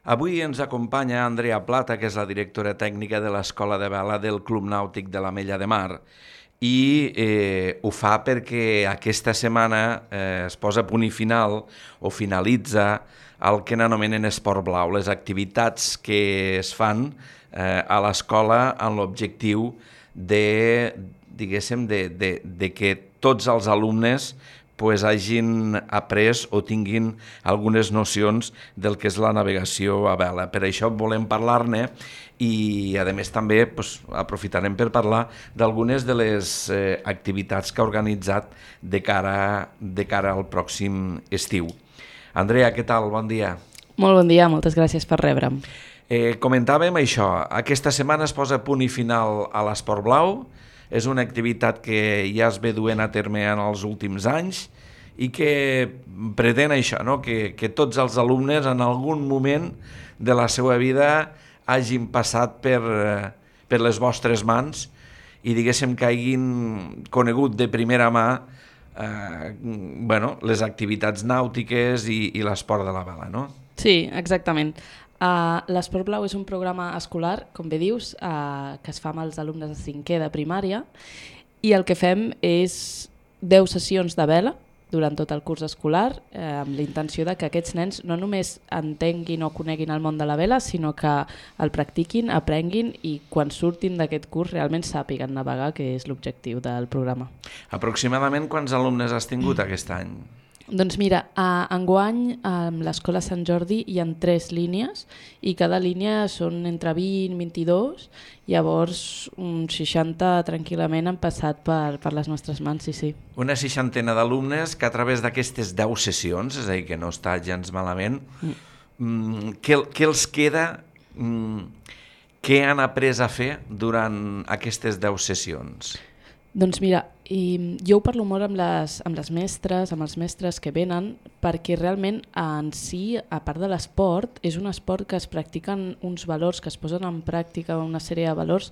Avui ens acompanya Andrea Plata, que és la directora tècnica de l'Escola de Vela del Club Nàutic de l'Ametlla de Mar, i ho fa perquè aquesta setmana es posa a punt i final o finalitza el que n'anomenen Esport Blau, les activitats que es fan a l'escola amb l'objectiu de, diguéssim, de que tots els alumnes hagin après o tinguin algunes nocions del que és la navegació a vela. Per això volem parlar-ne i, a més, també aprofitarem per parlar d'algunes de les activitats que ha organitzat de cara al pròxim estiu. Andrea, què tal? Bon dia. Molt bon dia, moltes gràcies per rebre'm. Comentàvem això, aquesta setmana es posa punt i final a l'Esport Blau. És una activitat que ja es ve duent a terme en els últims anys i que pretén això, no? que tots els alumnes en algun moment de la seva vida hagin passat per les vostres mans i diguéssim que hagin conegut de primera mà les activitats nàutiques i l'esport de la vela, no? Sí, exactament. L'Esport Blau és un programa escolar, com bé dius, que es fa amb els alumnes de 5è de primària i el que fem és 10 sessions de vela durant tot el curs escolar amb la intenció de que aquests nens no només entenguin o coneguin el món de la vela, sinó que el practiquin, aprenguin i quan surtin d'aquest curs realment sàpiguen navegar, que és l'objectiu del programa. Aproximadament quants alumnes has tingut aquest any? Doncs mira, enguany a l'Escola Sant Jordi hi ha 3 línies i cada línia són entre 20 i 22, llavors uns 60 tranquil·lament han passat per les nostres mans, sí. Una 60 d'alumnes que a través d'aquestes 10 sessions, és a dir, que no està gens malament, què els queda, què han après a fer durant aquestes 10 sessions? Doncs mira, jo ho parlo molt amb les mestres, amb els mestres que venen, perquè realment en si, a part de l'esport, és un esport que es practiquen uns valors, que es posen en pràctica una sèrie de valors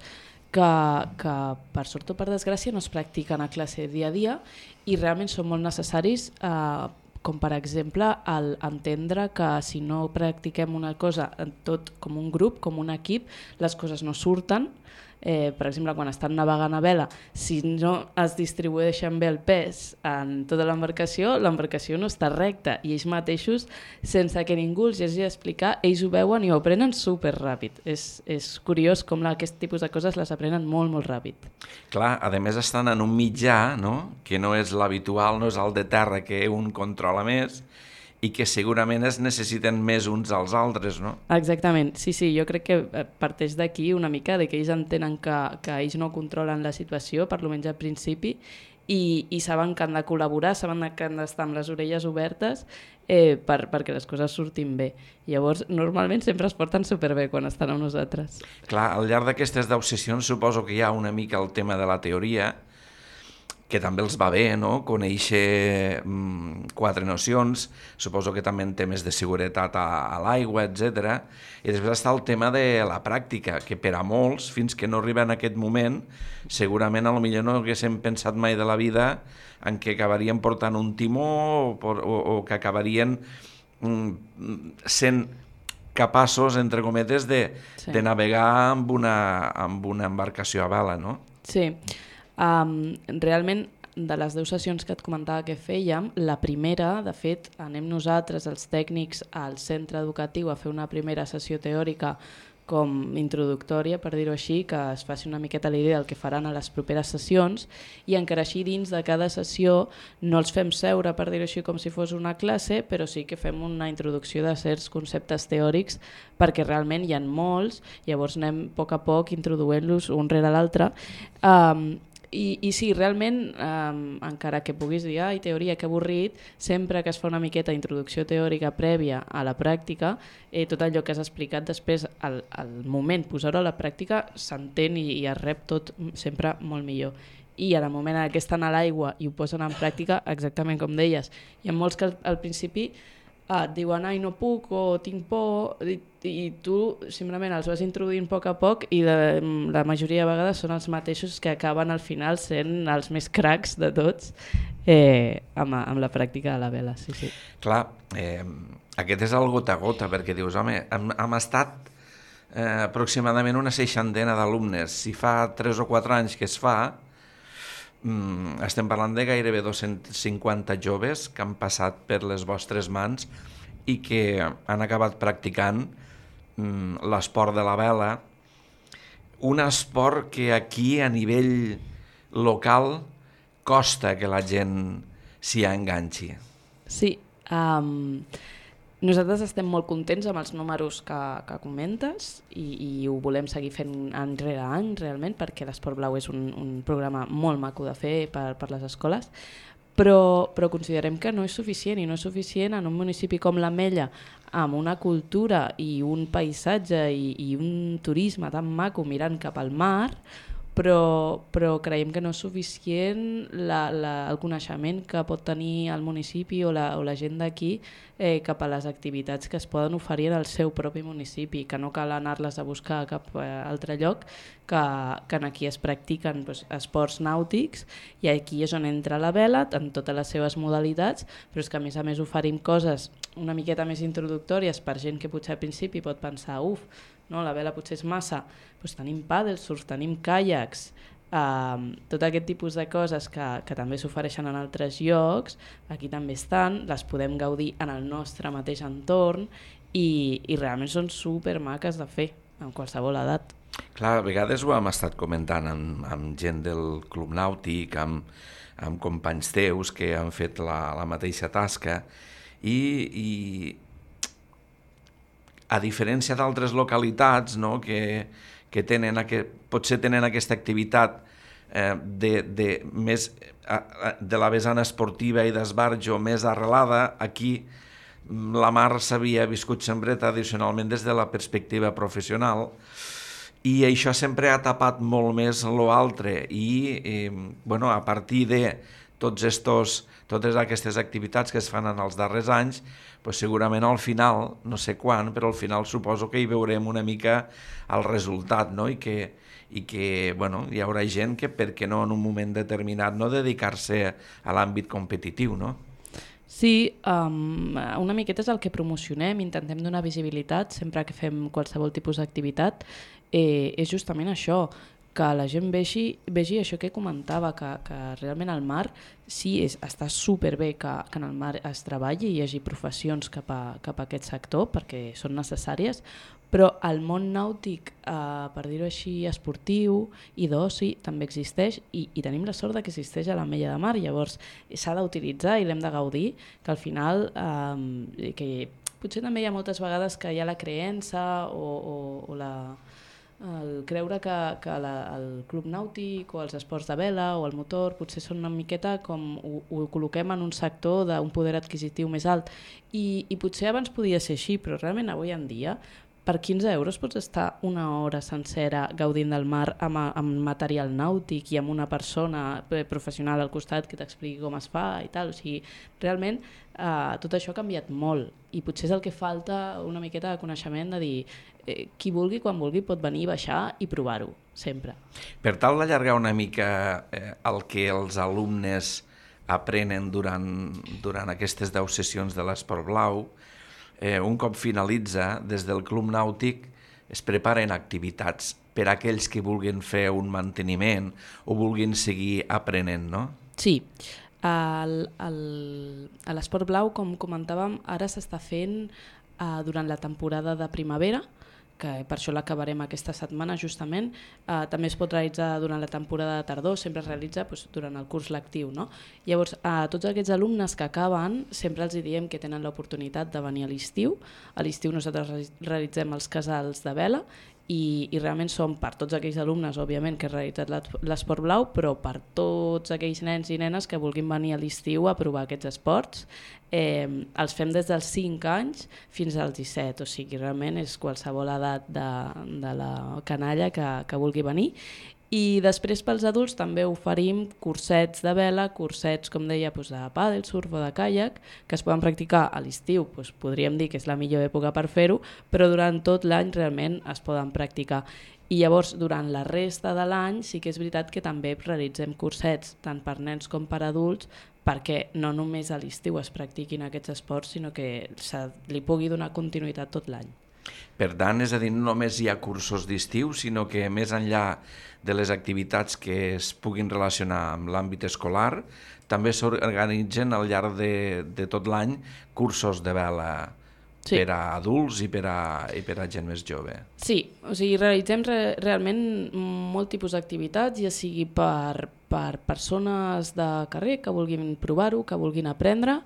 que per sort o per desgràcia no es practiquen a classe dia a dia i realment són molt necessaris, com per exemple entendre que si no practiquem una cosa tot com un grup, com un equip, les coses no surten. Per exemple, quan estan navegant a vela, si no es distribueixen bé el pes en tota l'embarcació no està recta i ells mateixos, sense que ningú els hagi d'explicar, ells ho veuen i ho aprenen superràpid. És curiós com aquest tipus de coses les aprenen molt, molt ràpid. Clar, a més estan en un mitjà, no? Que no és l'habitual, no és el de terra que un controla més, i que segurament es necessiten més uns als altres, no? Exactament, sí, jo crec que parteix d'aquí una mica, de que ells entenen que ells no controlen la situació, per almenys al principi, i saben que han de col·laborar, saben que han d'estar amb les orelles obertes perquè les coses surtin bé. Llavors, normalment sempre es porten superbé quan estan amb nosaltres. Clar, al llarg d'aquestes 10 sessions suposo que hi ha una mica el tema de la teoria, que també els va bé, no? Conèixer 4 nocions, suposo que també en temes de seguretat a l'aigua, etc. I després està el tema de la pràctica, que per a molts, fins que no arriben a aquest moment, segurament potser no haguéssim pensat mai de la vida en què acabarien portant un timó o que acabarien sent capaços, entre cometes, de navegar amb una embarcació a vela, no? Sí. Realment, de les 10 sessions que et comentava que fèiem, la primera, de fet, anem nosaltres, els tècnics, al centre educatiu a fer una primera sessió teòrica com introductòria, per dir-ho així, que es faci una miqueta la idea del que faran a les properes sessions, i encara així dins de cada sessió no els fem seure, per dir-ho així, com si fos una classe, però sí que fem una introducció de certs conceptes teòrics perquè realment hi ha molts, llavors anem a poc introduint-los un rere l'altre. I sí, realment, encara que puguis dir teoria, que avorrit, sempre que es fa una miqueta d'introducció teòrica prèvia a la pràctica, tot allò que has explicat després, al moment posar-ho a la pràctica, s'entén i es rep tot sempre molt millor. I en el moment en què estan a l'aigua i ho posen en pràctica, exactament com deies, hi ha molts que al principi et diuen no puc o tinc por i tu simplement els vas introduint a poc i la majoria de vegades són els mateixos que acaben al final sent els més cracs de tots amb la pràctica de la vela. Sí. Clar, Aquest és el gota a gota, perquè dius, home, hem estat aproximadament una 60 d'alumnes. Si fa 3 o 4 anys que es fa, estem parlant de gairebé 250 joves que han passat per les vostres mans i que han acabat practicant l'esport de la vela, un esport que aquí a nivell local costa que la gent s'hi enganxi. Sí, nosaltres estem molt contents amb els números que comentes i ho volem seguir fent any rere any realment, perquè l'Esport Blau és un programa molt maco de fer per les escoles, però considerem que no és suficient, i no és suficient en un municipi com l'Ametlla, amb una cultura i un paisatge i un turisme tan maco mirant cap al mar, però creiem que no és suficient el coneixement que pot tenir el municipi o la gent d'aquí cap a les activitats que es poden oferir en el seu propi municipi, que no cal anar-les a buscar a cap altre lloc, que aquí es practiquen esports nàutics, i aquí és on entra la vela en totes les seves modalitats, però és que a més oferim coses una miqueta més introductòries per gent que potser al principi pot pensar no, la vela potser és massa, doncs tenim paddle surf, tenim caiacs, tot aquest tipus de coses que també s'ofereixen en altres llocs, aquí també estan, les podem gaudir en el nostre mateix entorn i realment són supermaques de fer, amb qualsevol edat. Clar, a vegades ho hem estat comentant amb gent del Club Nàutic, amb companys teus que han fet la mateixa tasca i a diferència d'altres localitats, no, que tenen potser tenen aquesta activitat de la vessant esportiva i d'esbarjo més arrelada, aquí la mar s'havia viscut sempre tradicionalment des de la perspectiva professional i això sempre ha tapat molt més l'altre i a partir de totes aquestes activitats que es fan en els darrers anys, segurament al final, no sé quan, però al final suposo que hi veurem una mica el resultat, no? I que hi haurà gent que, per què no, en un moment determinat, no dedicar-se a l'àmbit competitiu, no? Sí, una miqueta és el que promocionem, intentem donar visibilitat sempre que fem qualsevol tipus d'activitat, és justament això, que la gent vegi això que comentava, que realment al mar sí està superbé que en el mar es treballi i hi hagi professions cap a aquest sector perquè són necessàries, però el món nàutic, per dir-ho així, esportiu i d'oci també existeix i tenim la sort que existeix a l'Ametlla de Mar, llavors s'ha d'utilitzar i l'hem de gaudir, que al final que potser també hi ha moltes vegades que hi ha la creença o el creure que el club nàutic o els esports de vela o el motor potser són una miqueta com ho col·loquem en un sector d'un poder adquisitiu més alt i potser abans podia ser així, però realment avui en dia per 15 euros pots estar una hora sencera gaudint del mar amb material nàutic i amb una persona professional al costat que t'expliqui com es fa i tal. O sigui, realment tot això ha canviat molt i potser és el que falta una miqueta de coneixement de dir qui vulgui, quan vulgui, pot venir, baixar i provar-ho, sempre. Per tal d'allargar una mica el que els alumnes aprenen durant aquestes 10 sessions de l'Esport Blau, un cop finalitza, des del Club Nàutic es preparen activitats per a aquells que vulguin fer un manteniment o vulguin seguir aprenent, no? Sí. A l'Esport Blau, com comentàvem, ara s'està fent durant la temporada de primavera, que per això l'acabarem aquesta setmana justament, també es pot realitzar durant la temporada de tardor, sempre es realitza durant el curs lectiu, no? Llavors, a tots aquests alumnes que acaben, sempre els diem que tenen l'oportunitat de venir a l'estiu. A l'estiu nosaltres realitzem els casals de vela i realment som per tots aquells alumnes, òbviament, que han realitzat l'Esport Blau, però per tots aquells nens i nenes que vulguin venir a l'estiu a provar aquests esports. Els fem des dels 5 anys fins als 17, o sigui, realment és qualsevol edat de la canalla que vulgui venir. I després pels adults també oferim cursets de vela, cursets, com deia, de pàdel, surf o de caiac, que es poden practicar a l'estiu, podríem dir que és la millor època per fer-ho, però durant tot l'any realment es poden practicar. I llavors, durant la resta de l'any, sí que és veritat que també realitzem cursets, tant per nens com per adults, perquè no només a l'estiu es practiquin aquests esports, sinó que li pugui donar continuïtat tot l'any. Per tant, és a dir, no només hi ha cursos d'estiu, sinó que més enllà de les activitats que es puguin relacionar amb l'àmbit escolar, també s'organitzen al llarg de tot l'any cursos de vela per a adults i per a gent més jove. Sí, o sigui, realitzem realment molt tipus d'activitats, ja sigui per persones de carrer que vulguin provar-ho, que vulguin aprendre,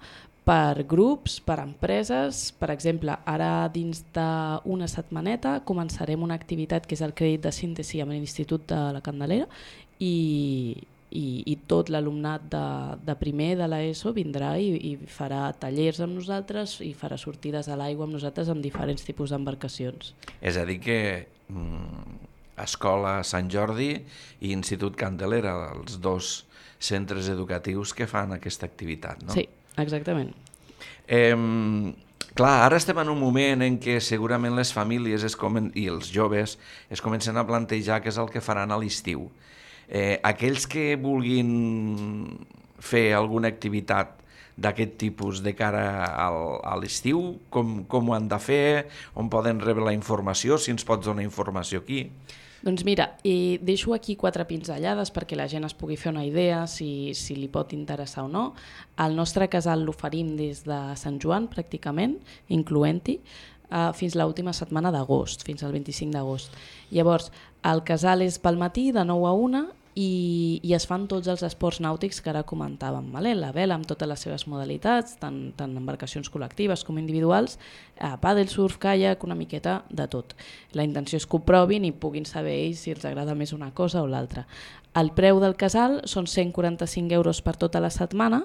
per grups, per empreses. Per exemple, ara dins d'una setmaneta començarem una activitat que és el crèdit de síntesi amb l'Institut de la Candelera i tot l'alumnat de primer de l'ESO vindrà i farà tallers amb nosaltres i farà sortides a l'aigua amb nosaltres amb diferents tipus d'embarcacions. És a dir que Escola Sant Jordi i Institut Candelera, els dos centres educatius que fan aquesta activitat, no? Sí, exactament. Clar, ara estem en un moment en què segurament les famílies i els joves es comencen a plantejar què és el que faran a l'estiu. Aquells que vulguin fer alguna activitat d'aquest tipus de cara a l'estiu, com ho han de fer, on poden rebre la informació, si ens pots donar informació aquí? Doncs mira, deixo aquí 4 pinzellades perquè la gent es pugui fer una idea si li pot interessar o no. El nostre casal l'oferim des de Sant Joan, pràcticament, incloent-hi, fins l'última setmana d'agost, fins al 25 d'agost. Llavors, el casal és pel matí, de 9 a 1, i es fan tots els esports nàutics que ara comentàvem. La vela amb totes les seves modalitats, tant embarcacions col·lectives com individuals, pàdel, surf, caiac, una miqueta de tot. La intenció és que ho provin i puguin saber ells si els agrada més una cosa o l'altra. El preu del casal són 145 euros per tota la setmana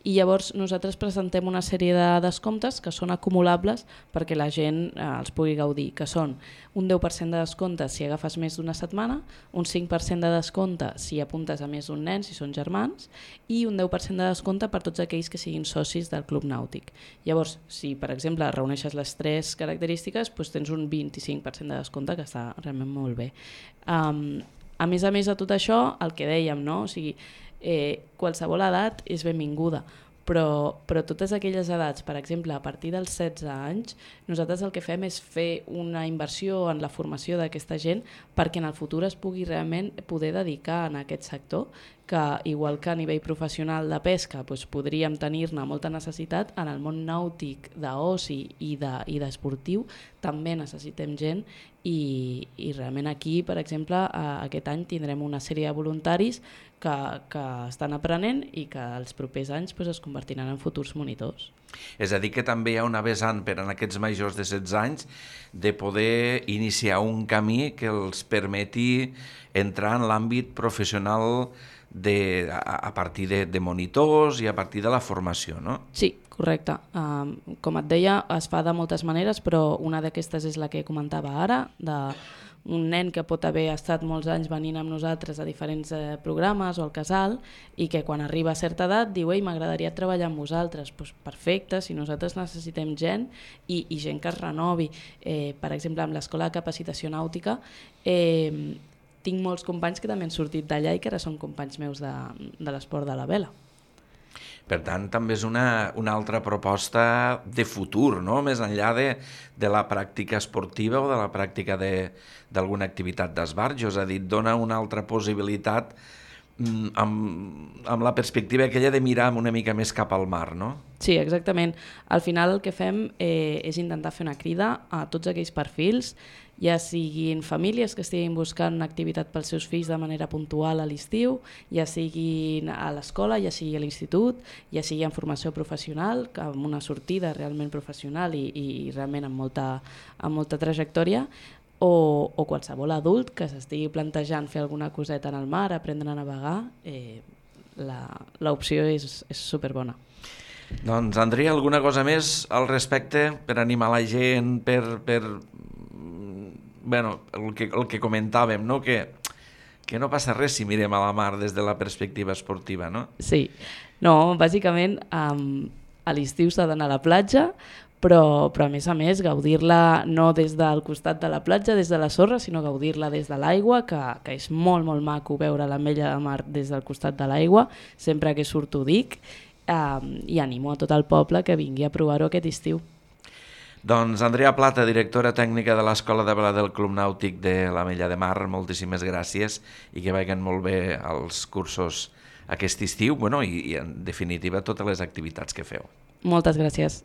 i llavors nosaltres presentem una sèrie de descomptes que són acumulables perquè la gent els pugui gaudir, que són un 10% de descompte si agafes més d'una setmana, un 5% de descompte si apuntes a més d'un nen, si són germans, i un 10% de descompte per tots aquells que siguin socis del Club Nàutic. Llavors, si per exemple reuneixes les 3 característiques, doncs tens un 25% de descompte, que està realment molt bé. A més de tot això, el que dèiem, no? O sigui, qualsevol edat és benvinguda, però totes aquelles edats, per exemple, a partir dels 16 anys, nosaltres el que fem és fer una inversió en la formació d'aquesta gent perquè en el futur es pugui realment poder dedicar en aquest sector, que igual que a nivell professional de pesca doncs podríem tenir-ne molta necessitat, en el món nàutic d'oci i d'esportiu també necessitem gent i realment aquí, per exemple, aquest any tindrem una sèrie de voluntaris que estan aprenent i que els propers anys es convertiran en futurs monitors. És a dir, que també hi ha una vessant per a aquests majors de 16 anys de poder iniciar un camí que els permeti entrar en l'àmbit professional a partir de monitors i a partir de la formació, no? Sí, correcte. Com et deia, es fa de moltes maneres, però una d'aquestes és la que comentava ara, d'un nen que pot haver estat molts anys venint amb nosaltres a diferents programes o al casal i que quan arriba a certa edat diu «Ei, m'agradaria treballar amb vosaltres». Doncs perfecte, si nosaltres necessitem gent i gent que es renovi. Per exemple, amb l'Escola de Capacitació Nàutica tinc molts companys que també han sortit d'allà i que ara són companys meus de l'esport de la vela. Per tant, també és una altra proposta de futur, no? Més enllà de la pràctica esportiva o de la pràctica d'alguna activitat d'esbarjo, és a dir, dona una altra possibilitat amb la perspectiva aquella de mirar una mica més cap al mar, no? Sí, exactament. Al final el que fem és intentar fer una crida a tots aquells perfils, ja siguin famílies que estiguin buscant una activitat pels seus fills de manera puntual a l'estiu, ja siguin a l'escola, ja sigui a l'institut, ja sigui en formació professional, amb una sortida realment professional i realment amb molta trajectòria, o qualsevol adult que s'estigui plantejant fer alguna coseta en el mar, aprendre a navegar, l'opció és superbona. Doncs, Andrea, alguna cosa més al respecte per animar la gent, el que comentàvem, no? Que no passa res si mirem a la mar des de la perspectiva esportiva, no? Sí, no, bàsicament a l'estiu s'ha d'anar a la platja, però a més gaudir-la no des del costat de la platja, des de la sorra, sinó gaudir-la des de l'aigua, que és molt, molt maco veure l'ametlla de mar des del costat de l'aigua, sempre que surto ho dic, i animo a tot el poble que vingui a provar-ho aquest estiu. Doncs Andrea Plata, directora tècnica de l'Escola de Vela del Club Nàutic de l'Ametlla de Mar, moltíssimes gràcies i que vagin molt bé els cursos aquest estiu, i en definitiva totes les activitats que feu. Moltes gràcies.